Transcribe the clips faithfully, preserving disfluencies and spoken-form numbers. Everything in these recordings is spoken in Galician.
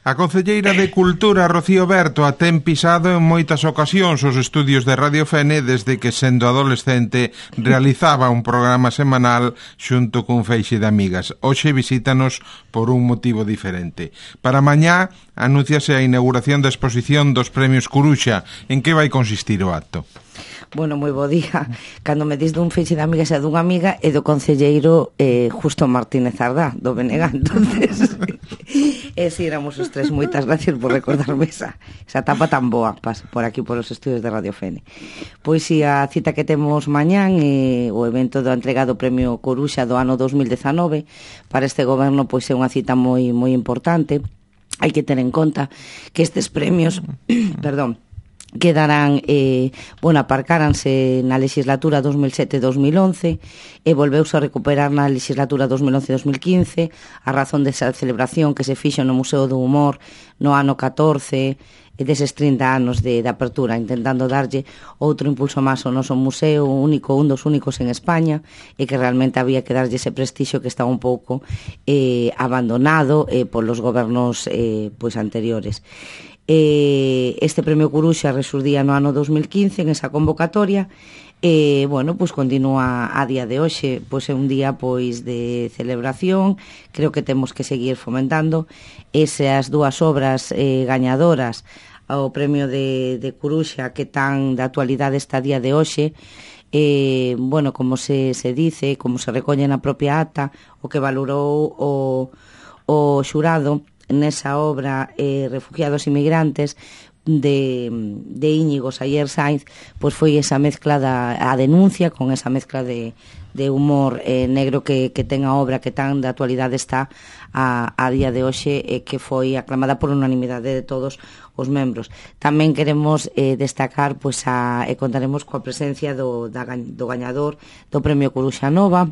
A concelleira de Cultura, Rocío Berto, a ten pisado en moitas ocasións os estudios de Radio Fene desde que, sendo adolescente, realizaba un programa semanal xunto cun feixe de amigas. Hoxe visítanos por un motivo diferente. Para mañá anúnciase a inauguración da exposición dos Premios Curuxa. En que vai consistir o acto? Bueno, moi bo día. Cando me dis dun feixe de amigas e dunha amiga e do concelleiro eh, Justo Martínez Ardá, do B N G. Entonces, e si éramos os tres. Moitas gracias por recordarme esa, esa etapa tan boa por aquí, por os estudios de Radio Fene. Pois si a cita que temos mañán é eh, o evento do entrega do Premio Coruxa do ano dos mil dezanove. Para este goberno pois é unha cita moi moi importante. Hai que ter en conta que estes premios, perdón, quedarán, eh, bueno, aparcáranse na legislatura dos mil sete dos mil once e volveuse a recuperar na legislatura dos mil once dos mil quince a razón desa celebración que se fixo no Museo do Humor no ano catorce e deses trinta anos de, de apertura, intentando darlle outro impulso máis ao noso museo, único, un dos únicos en España, e que realmente había que darlle ese prestixio que estaba un pouco eh, abandonado eh, polos gobernos eh, pois anteriores. Eh, este Premio Curuxa resurdía no ano dos mil quince en esa convocatoria e, bueno, pois continúa a día de hoxe, pois é un día pois de celebración. Creo que temos que seguir fomentando esas dúas obras eh, gañadoras ao Premio de, de Curuxa que tan de actualidade está a día de hoxe. Eh, bueno, como se, se dice, como se recolle na propia ata, o que valorou o, o xurado nesa obra eh, Refugiados Inmigrantes de, de Íñigo Sayer Sainz, pois foi esa mezcla da a denuncia con esa mezcla de, de humor eh, negro que, que ten a obra que tan de actualidade está a, a día de hoxe e eh, que foi aclamada por unanimidade de todos os membros. Tamén queremos eh, destacar pois a, e contaremos coa presencia do, da, do gañador do Premio Curuxa Nova,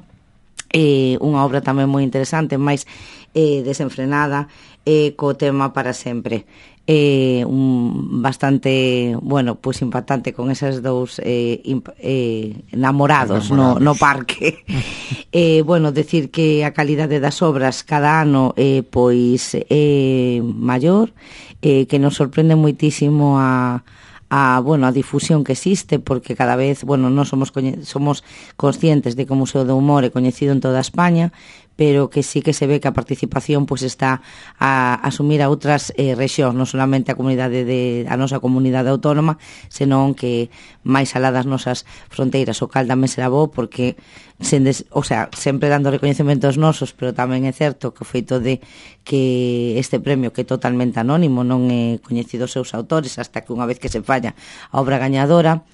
eh, unha obra tamén moi interesante, máis eh, desenfrenada, eh, co tema Para Sempre. Eh, un bastante, bueno, pois pues impactante con esos dous eh, imp, eh, enamorados, enamorados. No, no parque. eh, bueno, decir que a calidade das obras cada ano eh, pois é eh, maior, eh, que nos sorprende moitísimo a a, bueno, a difusión que existe, porque cada vez, bueno, non somos somos conscientes de que o Museo do Humor é coñecido en toda España, pero que sí que se ve que a participación pois está a asumir a outras eh, rexións, non solamente a comunidade de a nosa comunidade autónoma, senón que máis alá das nosas fronteiras. O cal tamén será bo porque sen des, o sea, sempre dando recoñecementos nosos, pero tamén é certo que o feito de que este premio, que é totalmente anónimo, non é coñecido os seus autores hasta que unha vez que se falla a obra gañadora,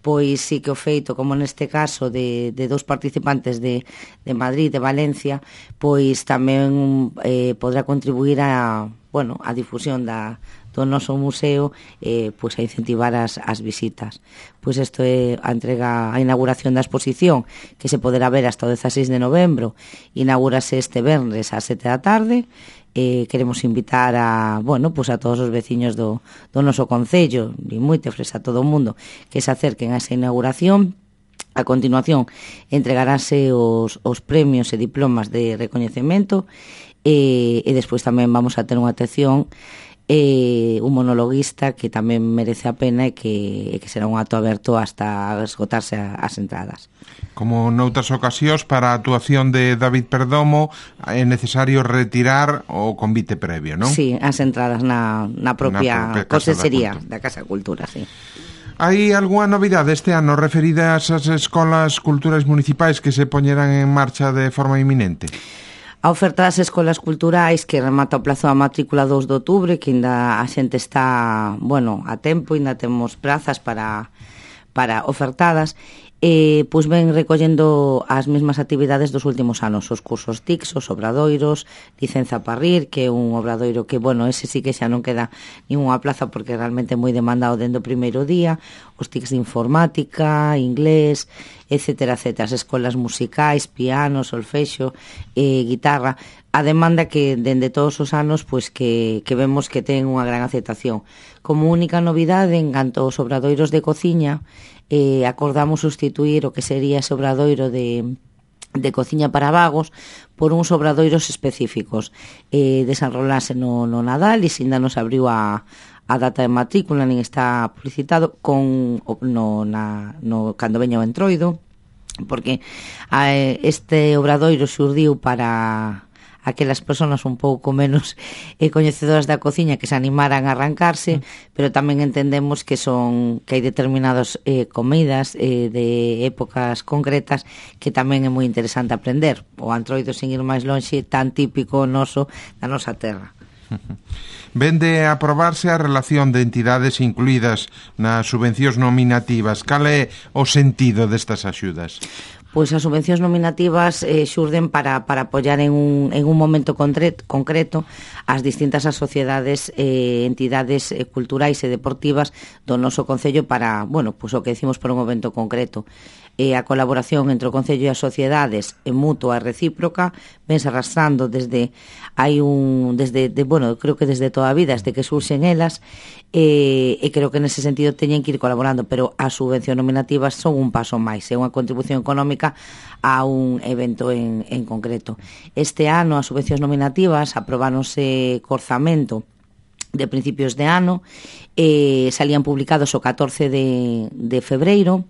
pois sí que o feito, como neste caso de, de dous participantes de, de Madrid, de Valencia, pois tamén eh, podrá contribuir a, bueno, a difusión da, do noso museo, eh, pois a incentivar as, as visitas. Pois isto é a entrega, a inauguración da exposición, que se poderá ver hasta o dezaseis de novembro. Inaugúrase este venres ás sete da tarde. Eh, queremos invitar a, bueno, pues a todos os veciños do, do noso concello, e moitos a todo o mundo que se acerquen a esa inauguración. A continuación entregarase os, os premios e diplomas de recoñecemento e, e despois tamén vamos a ter unha atención e un monologuista que tamén merece a pena e que, e que será un acto aberto hasta esgotarse as entradas. Como noutras ocasións, para a actuación de David Perdomo é necesario retirar o convite previo, non? Sí, as entradas na, na propia, propia consellería da Casa da Cultura, sí. Hai algunha novidade este ano referida ás escolas culturais municipais que se poñerán en marcha de forma inminente? A oferta das escolas culturais que remata o plazo da matrícula dous de outubro, que ainda a xente está, bueno, a tempo, ainda temos prazas para, para ofertadas, e pois ven recollendo as mesmas actividades dos últimos anos, os cursos T I C, os obradoiros, licenza para rir, que é un obradoiro que, bueno, ese sí que xa non queda ninguna plaza porque realmente é moi demandado dentro do primeiro día, os T I Cs de informática, inglés, etcétera, etcétera, as escolas musicais, piano, solfexo, eh, guitarra, a demanda que dende todos os anos pois que, que vemos que ten unha gran aceptación. Como única novidade, en canto aos obradoiros de cociña, eh, acordamos sustituir o que sería ese obradoiro de de cociña para vagos por uns obradoiros específicos. Eh, desenrolase no, no Nadal e ainda nos abriu a, a data de matrícula, nin está publicitado con no, na, no, cando veña o entroido, porque a, este obradoiro xurdiu para aquelas persoas un pouco menos eh, coñecedoras da cociña que se animaran a arrancarse, mm. pero tamén entendemos que son que hai determinadas eh, comidas eh, de épocas concretas que tamén é moi interesante aprender. O antroido, sen ir máis lonxe, tan típico noso da nosa terra. Vende a aprobarse a relación de entidades incluídas nas subvencións nominativas. Cal é o sentido destas axudas? Pois as subvencións nominativas eh, xurden para, para apoiar en un, en un momento concreto, concreto as distintas asociadas e eh, entidades eh, culturais e deportivas do noso concello para, bueno, pois o que decimos por un momento concreto. E a colaboración entre o concello e as sociedades é mutua e recíproca, vense arrastrando desde hai un desde de, bueno, creo que desde toda a vida, desde que surxen elas, e, e creo que nese sentido teñen que ir colaborando, pero as subvencións nominativas son un paso máis, é unha contribución económica a un evento en, en concreto. Este ano as subvencións nominativas aprobáronse co orzamento de principios de ano, eh, salían publicados o catorce de, de febreiro.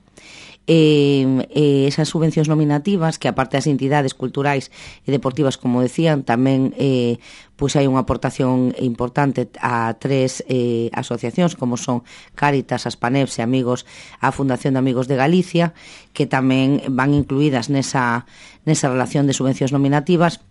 Eh, eh, esas subvencións nominativas que aparte das entidades culturais e deportivas, como decían, tamén eh, pois hai unha aportación importante a tres eh, asociacións como son Cáritas, Aspaneps e Amigos, a Fundación de Amigos de Galicia, que tamén van incluídas nesa, nesa relación de subvencións nominativas.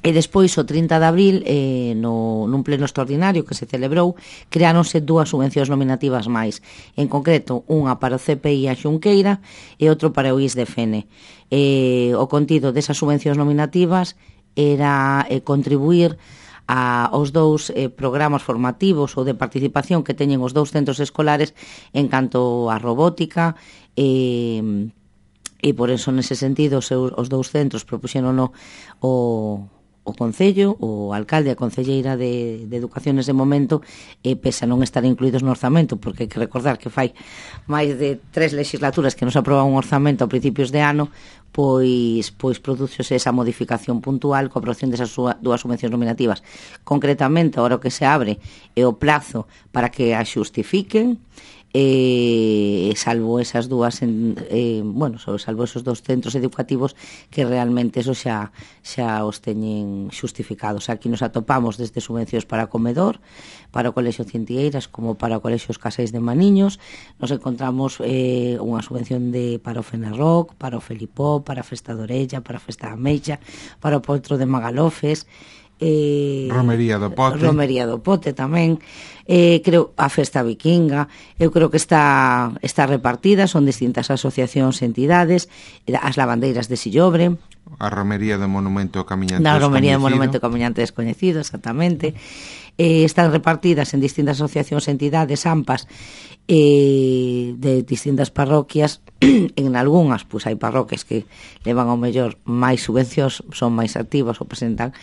E despois, o trinta de abril, eh, no, nun pleno extraordinario que se celebrou, creáronse dúas subvencións nominativas máis. En concreto, unha para o C P I a Xunqueira e outro para o I S D F N. Eh, o contido desas subvencións nominativas era eh, contribuir a, aos dous eh, programas formativos ou de participación que teñen os dous centros escolares en canto a robótica e... e por eso, nese sentido, os, os dous centros propuxeron o, o, o Concello, o alcalde e a concelleira de, de Educación nese momento, e pese a non estar incluídos no orzamento, porque hai que recordar que fai máis de tres legislaturas que nos aproba un orzamento a principios de ano, pois, pois producose esa modificación puntual coa aprobación desas dúas subvencións nominativas. Concretamente, agora o que se abre é o plazo para que a xustifiquen, eh, salvo esas dúas en, eh, bueno, salvo esos dos centros educativos que realmente eso xa, xa os teñen xustificados. Aquí nos atopamos desde subvencións para comedor, para o Colexio Cintieiras, como para o Colexio Os Caseis de Maniños. Nos encontramos eh, unha subvención de, para o Fenerrock, para o Felipó, para a Festa de Orella, para a Festa da Meixa, para o Potro de Magalofes, eh, Romería do Pote Romería do Pote tamén, eh, creo a Festa Vikinga. Eu creo que está, está repartida, son distintas asociacións e entidades, as lavandeiras de Sillobre, a Romería do Monumento Camiñante na Descoñecido, Romería do Monumento Camiñante Descoñecido, exactamente. Eh, están repartidas en distintas asociacións e entidades AMPAs eh, de distintas parroquias. En algunhas, pois hai parroquias que levan ao mellor máis subvencións, son máis activas ou presentan,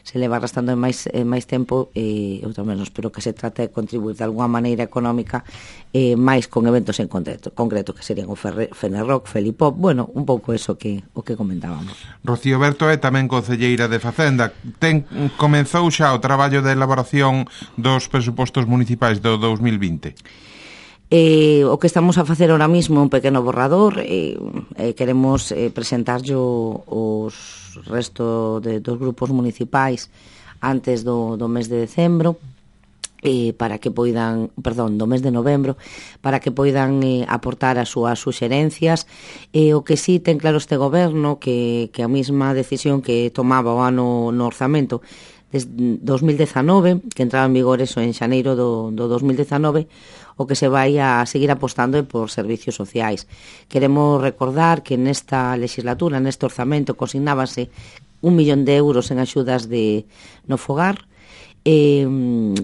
se leva arrastrando en máis, en máis tempo, e eu tamén espero que se trate de contribuir de alguna maneira económica eh, máis con eventos en concreto, concreto que serían o Fenerrock, Felipop, bueno, un pouco eso que o que comentábamos. Rocío Berto é tamén concelleira de Facenda. Ten, comenzou xa o traballo de elaboración dos presupostos municipais do dous mil vinte? Eh, o que estamos a facer ahora mismo é un pequeno borrador, eh, eh, queremos eh, presentarlo os resto de, dos grupos municipais antes do, do mes de decembro, eh, para que poidan, perdón, do mes de novembro, para que poidan eh, aportar as súas suxerencias. Eh, o que sí ten claro este goberno que, que a mesma decisión que tomaba o ano no orzamento desde dos mil dezanove, que entraba en vigor eso en xaneiro do, do dos mil dezanove, o que se vai a seguir apostando é por servicios sociais. Queremos recordar que nesta legislatura, neste orzamento, consignábase un millón de euros en axudas de no fogar, eh,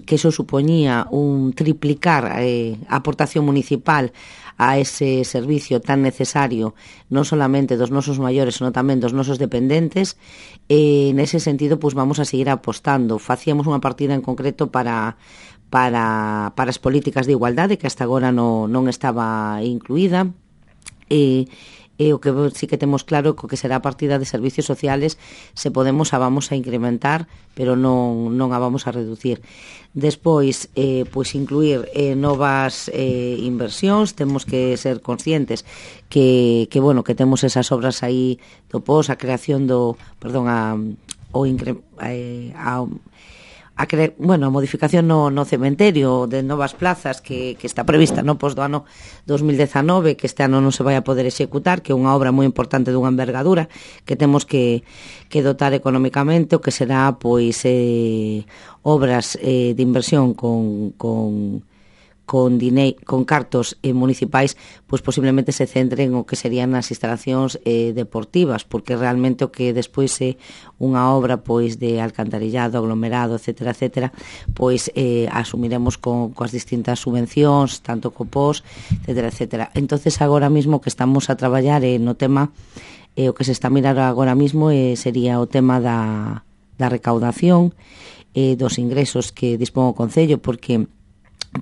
que eso supoñía un triplicar eh, a aportación municipal a ese servicio tan necesario, non solamente dos nosos maiores, senón tamén dos nosos dependentes. E nese sentido, pues, vamos a seguir apostando. Facíamos unha partida en concreto para para, para as políticas de igualdade, que hasta agora no, non estaba incluída, e, e o que sí que temos claro co que será a partida de servicios sociales, se podemos a vamos a incrementar, pero non, non a vamos a reducir. Despois, eh, pois incluir eh, novas eh, inversións, temos que ser conscientes que, que, bueno, que temos esas obras aí do P O S, a creación do, perdón, a, o incre, eh, a, a cre, bueno, a modificación no, no cementerio de novas plazas que, que está prevista no pos do ano dos mil dezanove, que este ano non se vai a poder executar, que é unha obra moi importante dunha envergadura que temos que, que dotar económicamente, o que será pois eh, obras eh, de inversión con, con con dinei, con cartos eh, municipais, pois posiblemente se centren o que serían as instalacións eh, deportivas, porque realmente o que despois é unha obra pois de alcantarillado, aglomerado, etcétera, etcétera, pois eh, asumiremos con coas distintas subvencións, tanto co P O S, etcétera, etcétera. Entonces agora mismo que estamos a traballar eh, no tema, eh, o que se está a mirar agora mismo eh, sería o tema da, da recaudación, eh, dos ingresos que dispón o Concello, porque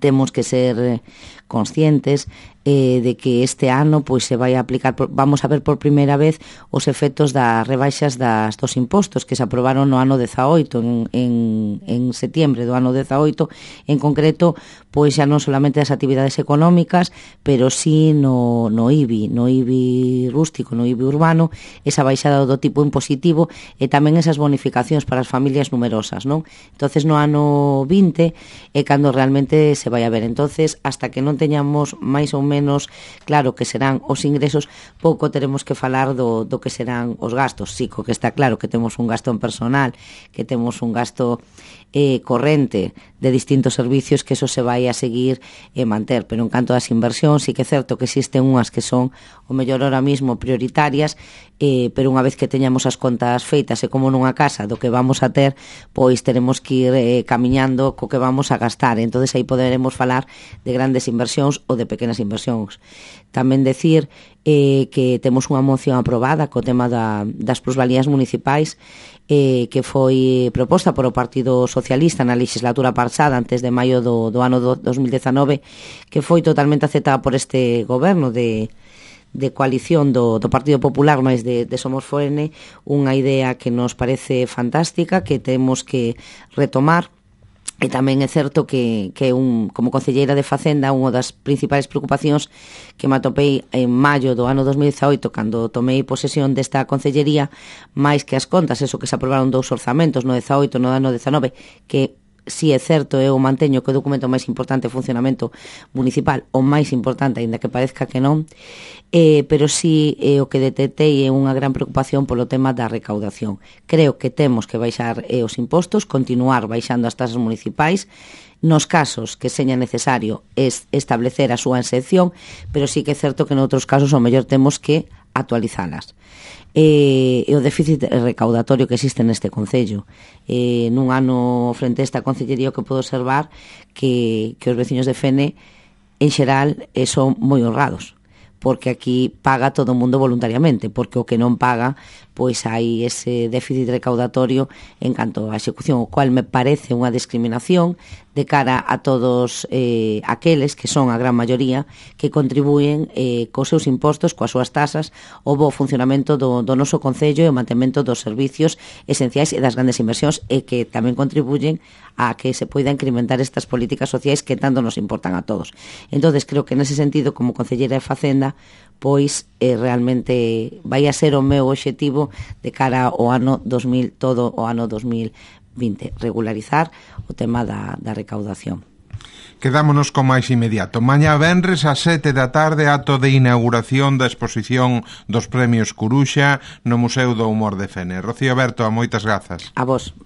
temos que ser conscientes eh, de que este ano pois se vai a aplicar, por, vamos a ver por primeira vez os efectos das rebaixas das, dos impostos que se aprobaron no ano dezaoito, en, en, en setiembre do ano dezaoito, en concreto, pois xa non solamente das actividades económicas, pero sí no, no I B I, no I B I rústico, no I B I urbano, esa baixada do tipo impositivo e tamén esas bonificacións para as familias numerosas, non? Entonces no ano vinte é cando realmente se vai a ver. Entonces, hasta que non teñamos máis ou menos claro que serán os ingresos, pouco teremos que falar do, do que serán os gastos. Sí, co que está claro que temos un gasto en personal, que temos un gasto eh, corrente de distintos servicios, que eso se vai a seguir e eh, manter, pero en canto ás inversións, sí que é certo que existen unhas que son o mellor ahora mismo prioritarias, eh, pero unha vez que teñamos as contas feitas e como nunha casa do que vamos a ter, pois teremos que ir eh, camiñando co que vamos a gastar. Entonces aí poderemos falar de grandes inversións ou de pequenas inversións. Tamén decir eh, que temos unha moción aprobada co tema da, das plusvalías municipais, eh, que foi proposta por o Partido Socialista na legislatura pasada, antes de maio do, do ano do dos mil dezanove, que foi totalmente aceptada por este goberno de de coalición do, do Partido Popular máis de, de Somos Foene, unha idea que nos parece fantástica, que temos que retomar. E tamén é certo que, que un, como concelleira de Facenda, unha das principais preocupacións que me atopei en maio do ano dos mil dezaoito, cando tomei posesión desta concellería, máis que as contas, eso que se aprobaron dous orzamentos, no dezaoito, no ano dezanove, que si é certo, eu manteño que o documento máis importante de funcionamento municipal, o máis importante, aínda que parezca que non, eh, pero si eh, o que detectei é unha gran preocupación polo tema da recaudación. Creo que temos que baixar eh, os impostos, continuar baixando as tasas municipais, nos casos que seña necesario es establecer a súa exención, pero sí que é certo que noutros casos o mellor temos que actualizalas. E, e o déficit recaudatorio que existe neste Concello. E, nun ano frente a esta Concellería que podo observar que, que os veciños de Fene en xeral eh, son moi honrados, porque aquí paga todo o mundo voluntariamente, porque o que non paga, pois hai ese déficit recaudatorio en canto á execución, o cual me parece unha discriminación de cara a todos eh, aqueles que son a gran maioría que contribúen eh, cos seus impostos, coas súas tasas, o bo funcionamento do, do noso Concello e o mantemento dos servicios esenciais e das grandes inversións, e que tamén contribuyen a que se poida incrementar estas políticas sociais que tanto nos importan a todos. Entonces creo que nese sentido, como concelleira de Facenda, pois eh, realmente vai a ser o meu obxectivo de cara ao ano dos mil, todo o ano dos mil vinte, regularizar o tema da, da recaudación. Quedámonos con máis inmediato. Mañá venres ás sete da tarde, acto de inauguración da exposición dos Premios Curuxa no Museo do Humor de Fene. Rocío Berto, moitas grazas. A vos.